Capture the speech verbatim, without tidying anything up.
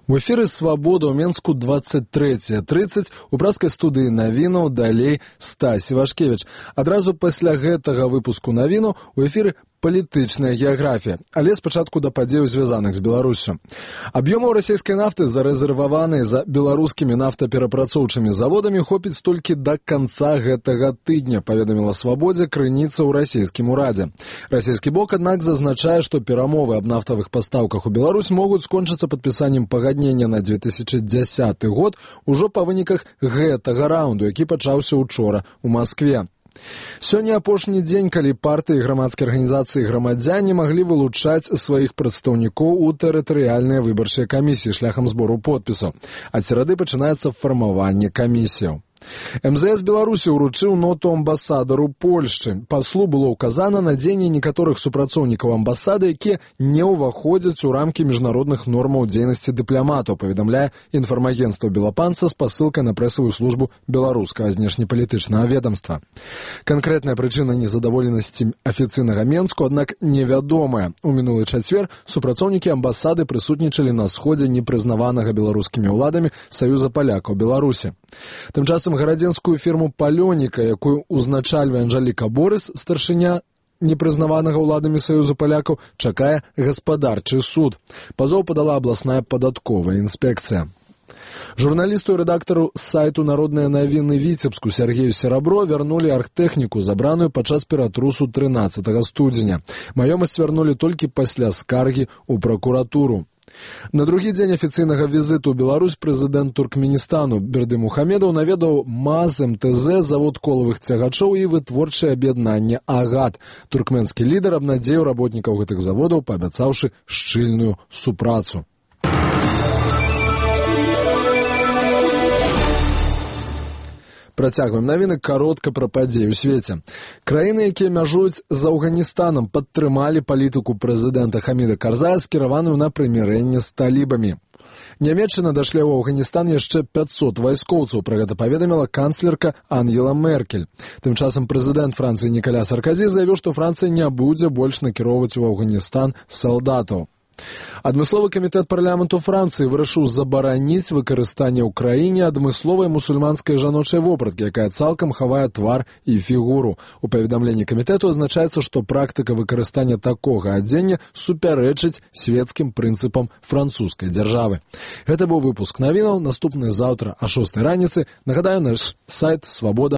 У эфіры «Свабода» ў Менску двадцать третья тридцать, у пражскай студыі навінаў далей Стась Івашкевіч. Адразу пасля гэтага выпуску навіну у эфіры палітычная геаграфія, але спачатку да падзеяў, звязаных з Беларуссю. Аб'ёмаў расійскай нафты, зарэзерваванай за беларускімі нафтаперапрацоўчымі заводамі, хопіць толькі да канца гэтага тыдня, паведаміла «Свабодзе» крыніца ў расійскім урадзе. Расійскі бок, аднак, зазначае, што перамовы аб нафтавых пастаўках у Беларусь могуць скончыцца падпісаннем пагаднення на две тысячи дзясяты год ужо па выніках гэтага раунду, які пачаўся учора ў Маскве. Сёння апошні дзень, калі партыі, грамадскія арганізацыі і грамадзяне маглі вылучаць сваіх прадстаўнікоў у тэрытарыяльныя выбарчыя камісіі шляхам збору подпісаў. Ад серады пачынаецца фармаванне камісіяў. эм зэ эс Беларусі ўручыў ноту амбасадару Польшчы. Паслу было ўказана на дзеянне некаторых супрацоўнікаў амбасады, якія не ўваходзяць у рамкі міжнародных нормаў дзейнасці дыпламатаў, паведамляе інфармагенцтва «Белапанца» з пасылкай на прэсавую службу беларускага знешнепалітычнага ведамства. Канкрэтная прычына незадаволенасці афіцыйнага Менску, аднак, невядомая. У мінулы чацвер супрацоўнікі амбасады прысутнічалі на сходзе непрызнаванага беларускімі ўладамі Саюза палякаў Беларусі. Тым часам гарадзенскую фірму «Палёніка», якую узначальвае Анжаліка Борыс, старшыня непрызнаванага ўладамі Саюза палякаў, чакае гаспадарчы суд. Пазоў падала абласная падатковая інспекцыя. Журналісту і рэдактару сайту «Народныя навіны» Віцебску Сергею Серабро вярнулі аргтэхніку, забраную падчас ператрусу трынаццатага студзеня. Маёмасць вярнулі толькі пасля скаргі ў пракуратуру. На другі дзень афіцыйнага візіту ў Беларусь прэзідэнт Туркменістану Бердымухамедаў наведаў МАЗ, эм тэ зэ, завод колавых цягачоў і вытворчае аб'яднанне «Агат». Туркменскі лідар абнадзеіў работнікаў гэтых заводаў, паабяцаўшы шчыльную супрацу. Працягваем навіны каротка пра падзеі ў свеце. Краіны, якія мяжуюць з Афганістанам, падтрымалі палітыку прэзідэнта Хаміда Карзая, скіраваную на прымірэнне з талібамі. Нямецчына дашле ў Афганістан яшчэ пяцьсот вайскоўцаў, пра гэта паведаміла канцлерка Ангела Меркель. Тым часам прэзідэнт Францыі Нікаля Сарказі заявіў, што Францыя не будзе больш накіроўваць у Афганістан салдатаў. Адмысловы камітэт парламенту Францыі вырашыў забараніць выкарыстанне ў краіне адмысловай мусульманскай жаночай вопраткі, якая цалкам хавае твар і фігуру. У паведамленні камітэту азначаецца, што практыка выкарыстання такога адзення супярэчыць свецкім прынцыпам французскай дзяржавы. Гэта быў выпуск навінаў. Наступны заўтра а шостай раніцы. Нагадаю, наш сайт «Свабода».